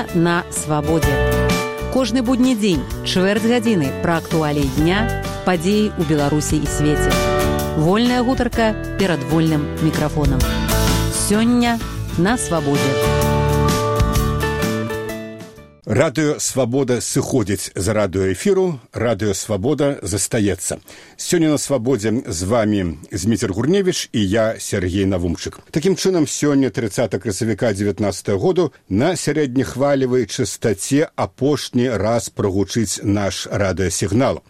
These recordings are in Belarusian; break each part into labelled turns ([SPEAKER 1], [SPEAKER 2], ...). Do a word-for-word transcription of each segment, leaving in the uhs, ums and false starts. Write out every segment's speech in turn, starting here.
[SPEAKER 1] Сёння на свабодзе. Кожны будні дзень, чвэрць гадзіны пра актуаліі дня, падзеі ў Беларусі і свеце. Вольная гутарка перад вольным мікрафонам. Сёння на свабодзе.
[SPEAKER 2] Радыё «Свабода» сыходзіць з радыёэфіру, радыё «Свабода» застаецца. Сёння на свабодзе з вами Зміцер Гурневіч і я, Сергей Навумчык. Такім чынам, сёння трыццатага красавіка дзевятнаццатага году на сярэднехвалевай частаце апошні раз прагучыць наш радыёсігнал.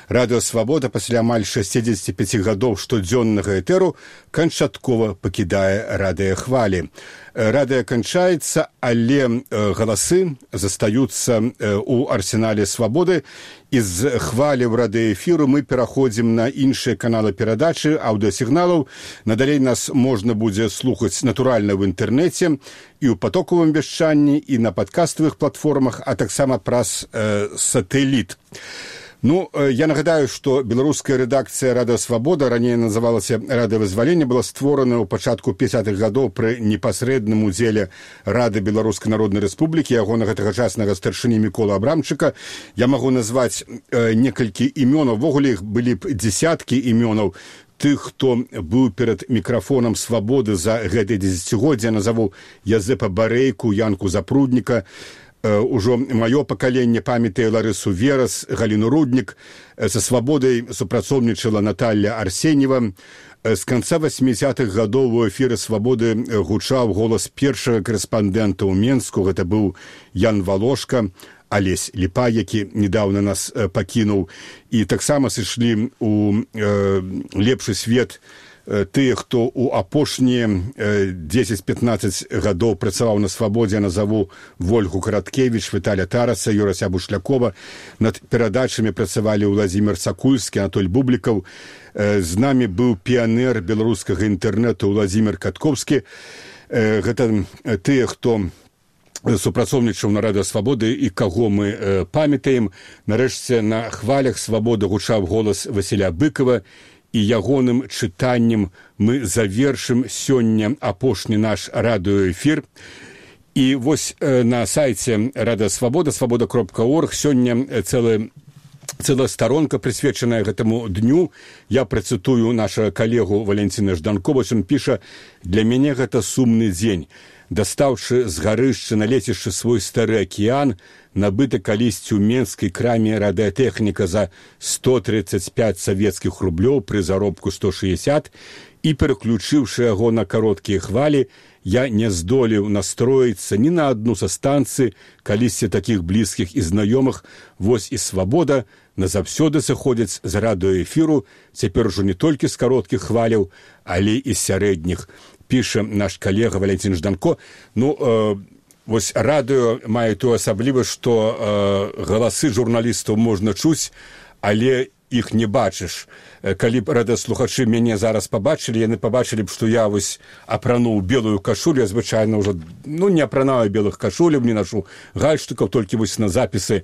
[SPEAKER 2] Радыё «Свабода» пасля амаль шэсцідзесяці пяці гадоў штодзённага этэру канчаткова пакідае радыёхвалі. Радыё канчаецца, але галасы застаюцца ў арсенале «Свабоды». І з хваляў радыёэфіру мы пераходзім на іншыя каналы перадачы аўдыосігналаў. Надалей нас можна будзе слухаць натуральна ў інтэрнэце і ў патокавым вяшчанні, і на падкаставых платформах, а таксама праз э, сатэліт. Ну, я нагадаю, што беларуская рэдакцыя «Радыё Свабода», раней называлася «Радыёвызваленне», была створана ў пачатку пяцідзясятых гадоў пры непасрэдным удзеле Рады Беларускай Народнай Рэспублікі, ягонага тагачаснага старшыні Міколы Абрамчыка. Я магу назваць э, некалькі імёнаў, увогуле іх былі б дзесяткі імёнаў тых, хто быў перад мікрафонам «Свабоды» за гэтае дзесяцігоддзе. Назову Язэпа Барэйку, Янку Запрудніка. Ужо маё пакаленне памятае Ларысу Верас, Галіну Руднік. Са «Свабодай» супрацоўнічала Наталья Арсеньева. З канца васьмідзесятых гадоў у эфіры «Свабоды» гучаў голас першага карэспандэнта ў Менску. Гэта быў Ян Валошка, Алесь Ліпа, які недавно нас пакінуў. І таксама сышлі ў э, лепшы свет тыя, хто ў апошнія дзесяць-пятнаццаць гадоў працаваў на «Свабодзе». Назову Вольгу Караткевіч, Віталя Тараса, Юрася Бушлякова. Над перадачамі працавалі Владзімір Сакульскі, Анатоль Бублікаў. З намі быў піянер беларускага інтэрнэту Владзімір Каткоўскі. Гэта тыя, хто супрацоўнічаў на радыё «Свабоды» і каго мы э, памятаем. Нарэшце на хвалях «Свабоды» гучаў голас Васіля Быкова, і ягоным чытаннем мы завершым сёння апошні наш радыёэфір. І вось э, на сайце «Радыё Свабода», свабода кропка орг, сёння цэлая цэлая старонка, прысвечаная гэтаму дню. Я працытую нашага калегу Валянціна Жданкова. Ён піша: «Для мяне гэта сумны дзень. Дастаўшы з гарышча на лецішча свой стары акіян, набыты калісьці ў менскай краме радыётэхніка за сто тридцать пять савецкіх рублёў пры заробку сто шестьдесят, і пераключыўшы яго на кароткія хвалі, я не здолеў настроіцца ні на адну са станцый, калісьці такіх блізкіх і знаёмых. Вось і «Свабода» назаўсёды сыходзіць з радыёэфіру, цяпер ужо не толькі з кароткіх хваляў, але і сярэдніх», піша наш калега Валянцін Жданко. Ну, э, вось радыё мае тую асаблівасць, што э, галасы журналістаў можна чуць, але іх не бачыш. Калі б радыёслухачы мяне зараз пабачылі, яны пабачылі б, што я вось апрануў белую кашулю. Я звычайна ўжо ну, не апранаю белых кашуляў, не нашу гальштукаў, толькі вось на запісы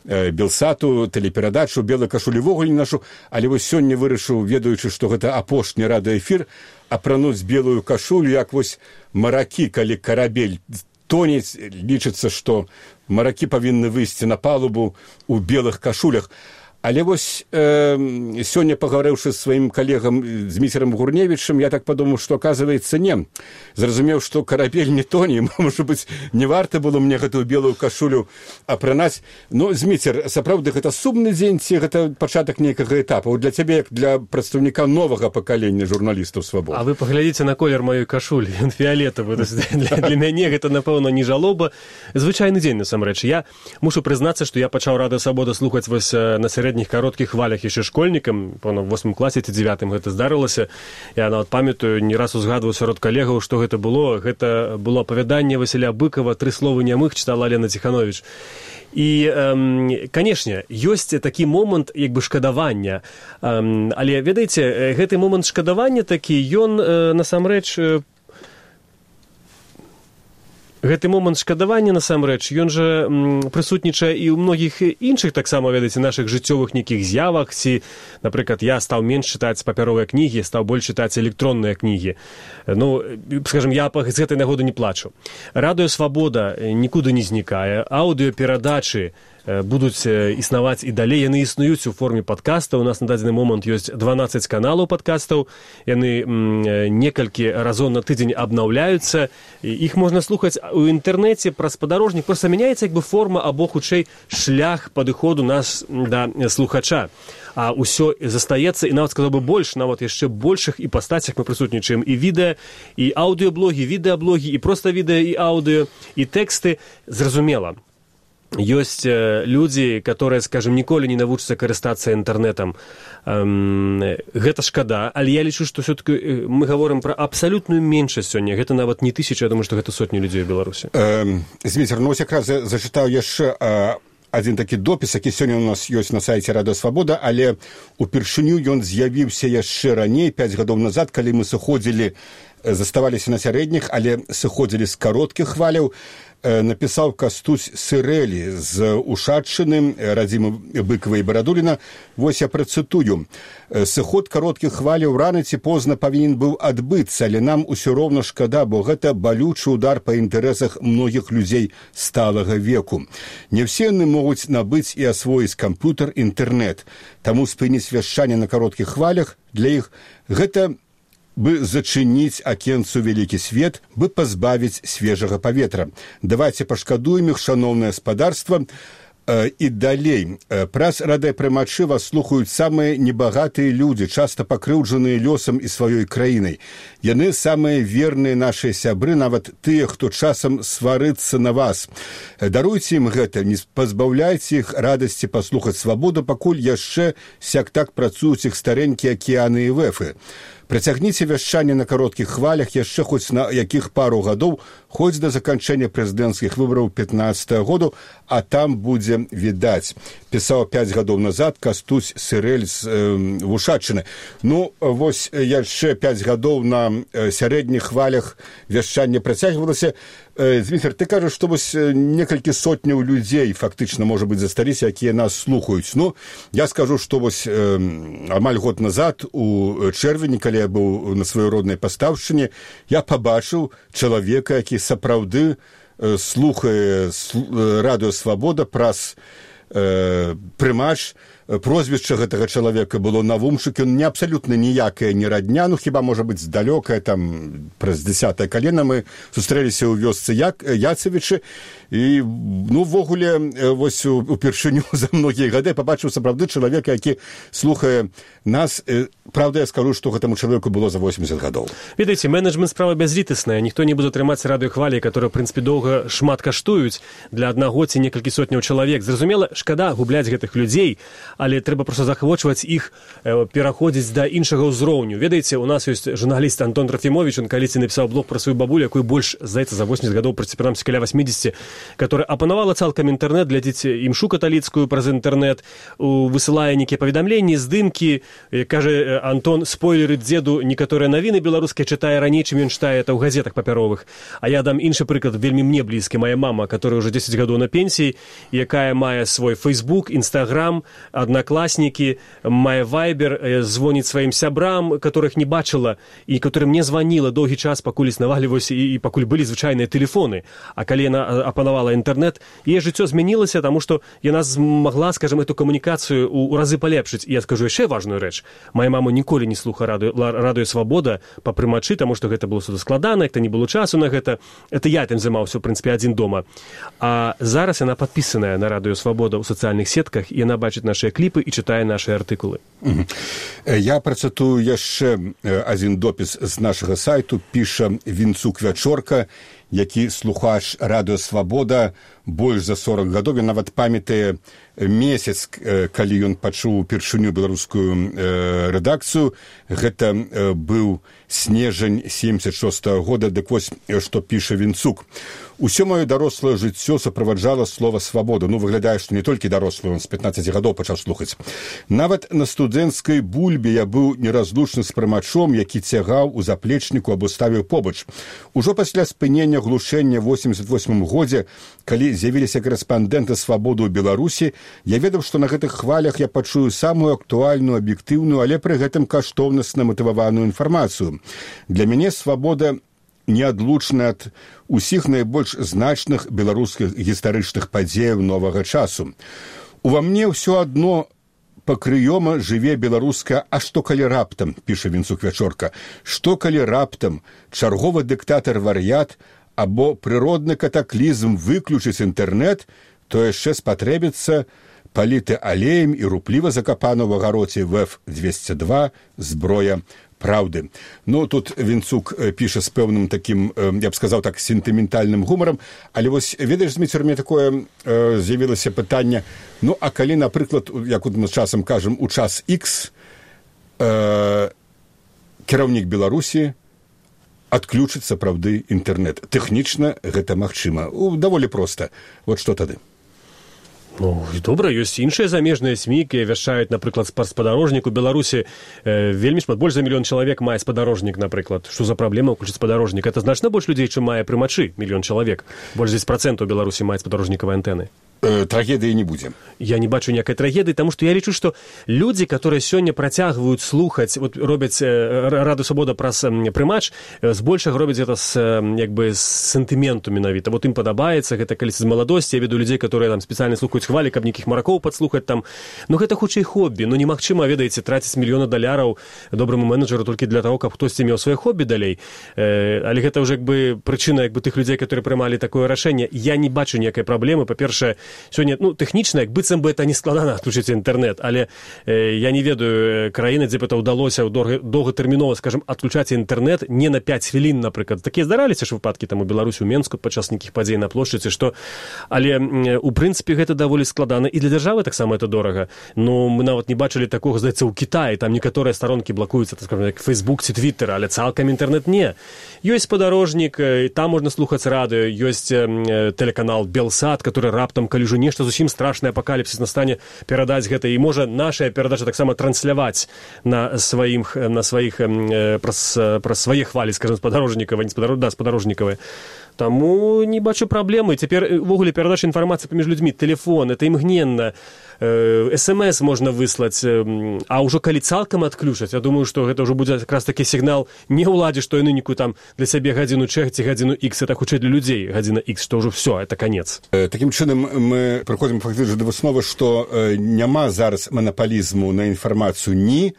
[SPEAKER 2] э, Белсату, тэлеперадачу, белой кашулі вогуле не нашу. Але вось сёння вырашыў, ведаючы, што гэта апошні радыёэфір, апрануць белую кашулю, як вось маракі, калі карабель тонец, лічыцца, што маракі павінны выйсці на палубу ў белых кашулях. Але вось э, сёння, пагаварыўшы з сваім калегам Зміцерам Гурневічам, я так падумаў, што, аказваецца, не. Зразумеў, што карабель не тоне, можа быць, не варта было мне гэтую белую кашулю апранаць. Ну, Зміцер, сапраўды, гэта сумны дзень, ці гэта пачатак нейкага этапа? Для цябе, як для прадстаўніка новага пакалення журналістаў «Свабоды».
[SPEAKER 3] А вы паглядзіце на колер маёй кашулі, ён фіялетавы. Для, для мяне гэта, напэўна, не жалоба. Звычайны дзень, насамрэч. Я мушу прызнацца, што я пачаў «Радыё Свабода» слухаць вось на сярэдніх кароткіх хвалях яшчэ школьнікам, пэўна, ў восьмым класе ці дзевятым гэта здарылася. Я нават памятаю, не раз узгадваў сярод калегаў, што гэта было. Гэта было апавяданне Васіля Быкова «Тры словы нямых», чытала Лена Ціхановіч. І, эм, канешне, ёсць такі момант як бы шкадавання. Эм, але, ведаеце, гэты момант шкадавання такі, ён э, насамрэч Гэты момант шкадавання, насамрэч, ён жа прысутнічае і ў многіх іншых, таксама, ведаеце, нашых жыццёвых нейкіх з'явах, ці, напрыклад, я стаў менш чытаць папяровыя кнігі, стаў больш чытаць электронныя кнігі. Ну, скажем, я з гэтай нагоды не плачу. Радыё Свабода нікуды не знікае, аўдыёперадачы будуць існаваць і далей. Яны існуюць у форме падкаста. У нас на дадзены момант ёсць дванаццаць каналаў падкастаў. Яны некалькі разоў на тыдзень абнаўляюцца. Іх можна слухаць у інтэрнэце праз падарожнік. Проста мяняецца як бы форма або, хутчэй, шлях падыходу нас да слухача. А ўсё застаецца, і нават сказаў бы больш, нават яшчэ большых і пастацях мы прысутнічаем і відэа, і аўдыёблогі, відэаблогі, і проста відэа, і аўдыё, і тэксты. Зразумела. Ёсць людзі, которые, скажем, ніколі не навучацца карыстацца інтэрнэтам. Гэта шкада, але я лічу, што все-таки мы гаворым пра абсалютную меншасць сёння. Гэта нават не тысяча, я думаю, што гэта сотні людзей у Беларусі.
[SPEAKER 2] Зміцер, ну ось якраз зачытаў яшчэ адзін такі допіс, які сёння у нас ёсць на сайце Радыё Свабода, але упершыню ён з'явіўся яшчэ раней, пяць гадоў назад, калі мы сыходзілі, заставаліся на сярэдніх, але сыходзілі з кароткіх хваляў. Напісаў Кастусь Сырэлі з Ушаччыны, радзімы Быкава і Барадуліна. Вось я працытую. Сыход кароткіх хваляў рана ці позна павінен быў адбыцца, але нам усё роўна шкада, бо гэта балючы удар па інтарэсах многіх людзей сталага веку. Не ўсе яны могуць набыць і асвоіць камп'ютар, інтэрнэт. Таму спыніць вяшчанне на кароткіх хвалях для іх гэта бы зачыніць акенцу вялікі свет, бы пазбавіць свежага паветра. Давайце пашкадуем іх, шаноўнае спадарства. І далей. Праз радыёпрымачы вас слухаюць самыя небагатыя людзі, часта пакрыўджаныя лёсам і сваёй краінай. Яны самыя верныя нашыя сябры, нават тыя, хто часам сварыцца на вас. Даруйце ім гэта, не пазбаўляйце іх радасці паслухаць свабоду, пакуль яшчэ сяк-так працуюць іх старэнькія акіяны і вэфы. Працягніце вяшчанне на кароткіх хвалях яшчэ хоць на якіх пару гадоў, хоць да заканчэння прэзідэнцкіх выбараў пятнаццатага году, а там будзе відаць. Пісаў пяць гадоў назад Кастусь Сырэль з э, Ушаччыны. Ну, вось яшчэ пяць гадоў на э, сярэдніх хвалях вяшчанне працягвалася. Э, Зміцер, ты кажаш, што вось некалькі сотняў людзей фактычна, можа быць, засталіся, якія нас слухаюць. Ну, я скажу, што вось э, амаль год назад у чэрвені, калі я быў на сваёй роднай пастаўшчыне, я пабачыў чалавека, які сапраўды э, слухае сл- Радыё Свабода праз э, прымач. Прозвішча гэтага чалавека было Навумчык, ён не абсалютна ніякая не радня, ну хіба, можа быць, здалёкая, там, праз дзясятае калена мы сустрэліся ў вёсцы Як, Яцевічы, і, ну, ввогуле, вось упершыню за многія гады пабачыў сапраўды чалавека, які слухае нас. Правда, я скажу, што гэтаму чалавеку было за восемьдесят гадоў.
[SPEAKER 3] Ведаеце, менеджмент справа бязлітасная. Ніхто не будзе трымаць радыёхвалі, которые, в прынцыпе, доўга шмат каштуюць для аднаго ці некалькі сотняў чалавек. Зразумела, шкада губляць гэтых людзей, але трэба проста захвочваць іх, э, пераходзіць да іншага ўзроўню. Ведаеце, у нас ёсць журналіст Антон Трофімович, он калісьці напісаў блог пра сваю бабулю, якой больш, здаецца, за восемьдесят гадоў, прынамсі, каля восемьдесят, которая апанавала цалкам інтэрнэт, глядзіць імшу каталіцкую праз інтэрнэт, высылае нейкія паведамленні, здымкі, кажа Антон, спойлеры дзеду, некаторыя навіны беларускія чытае раней, чым ён чытае это ў газетах папяровых. А я дам іншы прыклад, вельмі мне блізкі, моя мама, которая уже десять гадоў на пенсіі, якая мае свой Facebook, Instagram, Одноклассники, мае Viber, звоніць сваім сябрам, которых не бачыла, і которым не званіла доўгі час, пакуль існаваліваўся і, і пакуль былі звычайныя тэлефоны. А калі яна апанавала інтэрнэт, яе жыццё змянілася, таму што яна змагла, скажем, эту камунікацыю ў, ў разы палепшыць. І я скажу яшчэ важную рэч. Мая мама ніколі не слуха радыё, радыё Свабода па прымачы, таму што гэта было судаскладана, як-то не было часу на гэта. Это я тым займаўся, у прынцыпе, адзін дома. А зараз яна падпісаная на радыё Свабода ў сацыяльных сетках, і яна бачыць нашыя кліпы і чытае нашыя артыкулы.
[SPEAKER 2] Я працытую яшчэ адзін допіс з нашага сайту, піша Вінцук Вячорка, які слухач Радыё Свабода больш за сорок гадоў. Ён нават памятае месяц, калі ён пачуў упершыню беларускую э, рэдакцыю. Гэта э, быў снежань семьдесят шостого года. Дык вось, што піша Вінцук. Усё маё дарослае жыццё справаджала слова «свабода». Ну, выглядае, што не толькі дарослы, он з пятнаццаці гадоў пачаў слухаць. Нават на студэнцкай бульбе я быў неразлучны з прымачом, які цягаў у заплечніку або ставіў побач. Ужо пасля спынення пасля глушэння восемьдесят восьмым годзе, калі з'явіліся карэспандэнты свабоды ў Беларусі, я ведаў, што на гэтых хвалях я пачую самую актуальную, аб'ектыўную, але пры гэтым каштоўнасна матываваную інфармацыю. Для мяне свабода неадлучна ад усіх найбольш значных беларускіх гістарычных падзеяў новага часу. Ува мне ўсё адно пакрыёма жыве беларуская, а што калі раптам, піша Вінцук Вячорка, што калі раптам чарговы дыктатар-вар'ят або прыродны катаклізм выключыць інтэрнэт, то яшчэ спатрэбіцца паліты алеем і рупліва закапана ў агароце вэ эф двести два зброя праўды. Ну, тут Вінцук піша з пэўным такім, я б сказаў так, сентыментальным гумарам, але вось, ведаеш, Зміцер, мне такое э, з'явілася пытанне, ну, а калі, напрыклад, як мы часам кажам, у час X э, кіраўнік Беларусі адключыць сапраўды інтэрнэт. Тэхнічна гэта магчыма. Даволі проста. Вот што тады?
[SPEAKER 3] Ну, добра, ёсць іншыя замежныя СМІ, якія вяшчаюць, напрыклад, спадарожнік у Беларусі. Э, вельмі шмат, больш за мільён чалавек мае спадарожнік, напрыклад. Што за праблема ўключыць спадарожнік? Это значна больш людзей, чым мае прымачы, мільён чалавек. Больш дзесяць працэнтаў у Беларусі маюць спадарожнікавыя антэны.
[SPEAKER 2] Трагедыі не будзе.
[SPEAKER 3] Я не бачу ніякай трагедыі, таму што я лічу, што людзі, которые сёння працягваюць слухаць, вот робяць Раду Свабода праз прымач, збольшага робяць гэта з, як бы, з сентыменту менавіта. Вот ім падабаецца, гэта калі з маладосці, я веду людзей, которые там спецыяльна слухаюць хвалі, каб нейкіх маракоў падслухаць там. Ну гэта хутчэй хоббі, ну немагчыма, ведаеце, траціць мільёны даляраў добраму менеджеру толькі для таго, каб хтосьці меў сваё хоббі далей. Э, але гэта ўжо як бы прычына як бы тых людзей, которые прымалі такое рашэнне. Я не бачу ніякай праблемы. Па-першае, сёння, ну, тэхнічна, як быццам бы это не складана адключыць інтэрнэт, але э, я не ведаю краіны, дзе б это ўдалося доўгатэрмінова, скажем, адключаць інтэрнэт не на пяць хвілін, напрыклад. Такія здараліся ж выпадкі там у Беларусі, у Менску падчас нейкіх падзей на плошчыцы, што... Але, э, у прынцыпе, гэта даволі складана. І для дзяржавы таксама это дорага. Ну, мы нават не бачылі такога, здаецца, ў Кітаі. Там некаторыя старонкі блакуюцца, так скажем, як Фейсбук ці Твиттер, але цалкам інтэрнэт не. Ёсць спадарожнік, там можна слухаць радыё, ёсць э, тэлеканал Белсат, который раптам, калі ўжо нешта зусім страшны апакаліпсіс настане, перадаць гэта, і можа нашая перадача таксама трансляваць на сваім, на сваіх э, праз, праз свае хвалі, скажем, спадарожнікавыя, не спадарожнікавыя, да, спадарожнікавыя. Таму не бачу праблемы. Цяпер увогуле перадача інфармацыі паміж людзьмі, тэлефон, это імгненна, э, эс эм эс можна выслаць, э, а ўжо калі цалкам адключаць, я думаю, што гэта ўжо будзе якраз такі сігнал не ўладзе, што яны нейкую там для сябе гадзіну чэх ці гадзіну X, это хутчэй для людзей гадзіна X, што ўжо все, это канец.
[SPEAKER 2] Э, такім чынам мы прыходзім фактычна да высновы, што э, няма зараз манапалізму на інфармацыю ні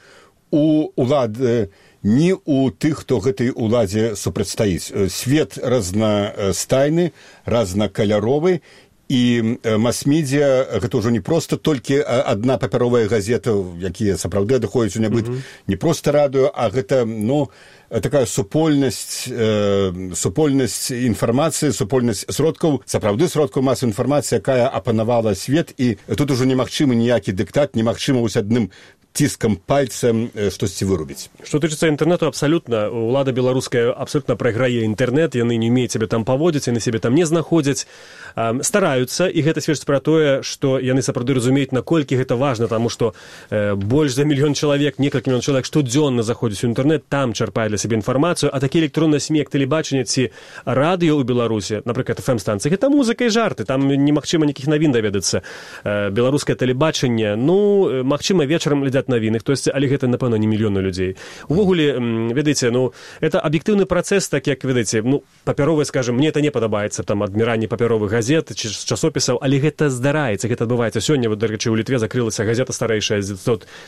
[SPEAKER 2] у улады, ні у тых, хто гэтай уладзе супрацьстаіць. Свет разнастайны, разнакаляровы, і мас-медіа гэта ўжо не проста толькі адна папяровая газета, якія сапраўды адыходзяць у нябыт, mm-hmm. не проста радыё, а гэта, ну, такая супольнасць, э, супольнасць інфармацыі, супольнасць сродкаў, сапраўды сродкаў масавай інфармацыі, якая апанавала свет, і тут ужо немагчымы ніякі дыктат, немагчыма вось адным ціскам пальцем штосьці вырубіць.
[SPEAKER 3] Што тычыцца інтэрнэту, абсалютна, улада беларуская абсалютна прайграе інтэрнэт, яны не умеюць сябе там паводзіць, яны сябе там не знаходзяць, э, стараюцца, і гэта сведчыць пра тое, што яны сапраўды разумеюць, наколькі гэта важна, таму што э, больш за мільён чалавек, некалькі мільён чалавек штодзённа заходзяць у інтэрнэт, там чарпае для сябе інфармацыю, а такія электронныя СМІ, як тэлебачанне ці радыё ў Беларусі, напрыклад, эф эм-станцыі, гэта музыка і жарты, там немагчыма нейкіх навін даведацца. Э, беларускае тэлебачанне, ну, магчыма, вечарам глядзяць навіны, хтосьці, але гэта, напэўна, не мільёны людзей. Увогуле, ведаеце, ну, это аб'ектыўны працэс, так як, ведаеце, ну, папяровыя, скажем, мне это не падабаецца, там, адміранне папяровых газет, ці часопісаў, але гэта здараецца, гэта адбываецца. Сёння, вот, дарэчы, у Літве закрылася газета старэйшая з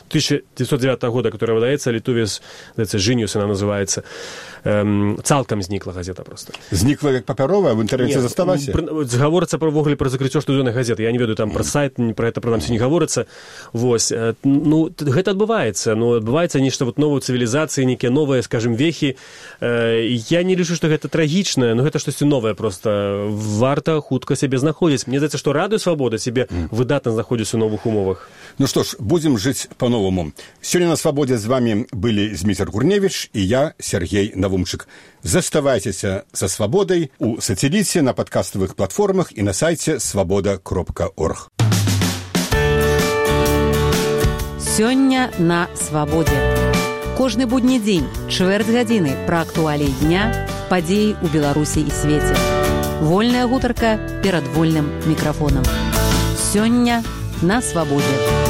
[SPEAKER 3] тысяча девятьсот девятого года, которая выдаецца, Літувес, здаецца, Жыніус она называецца. Эм, цалкам знікла газета просто.
[SPEAKER 2] Знікла як папяровая, в інтэрнэце засталася?
[SPEAKER 3] Гаворыцца пра ўвогуле пра закрыццё штодзённай газеты. Я не ведаю, там пра сайт, пра гэта прынамсі не гаворыцца. Вось, ну, гэта адбываецца, ну, адбываецца нешта вот новой цывілізацыі, нейкія новыя, скажем, вехі. Э, я не лічу, што гэта трагічна, но гэта штосьці новае просто. Варта хутка сябе знаходзіць. Мне здаецца, што Радыё Свабода сябе mm. выдатна знаходзіць у новых умовах.
[SPEAKER 2] Ну што ж, будзем жыць па-новаму. Сёння на Свабодзе з вамі былі Зміцер Гурневіч і я, Сергей Навумчык. Заставайцеся са Свабодай у сацэліце, на падкаставых платформах і на сайце свабода кропка орг.
[SPEAKER 1] Сёння на Свабодзе. Кожны будні дзень, чвэрць гадзіны пра актуаліі дня, падзеі ў Беларусі і свеце. Вольная гутарка перад вольным мікрафонам. Сёння на свабодзе.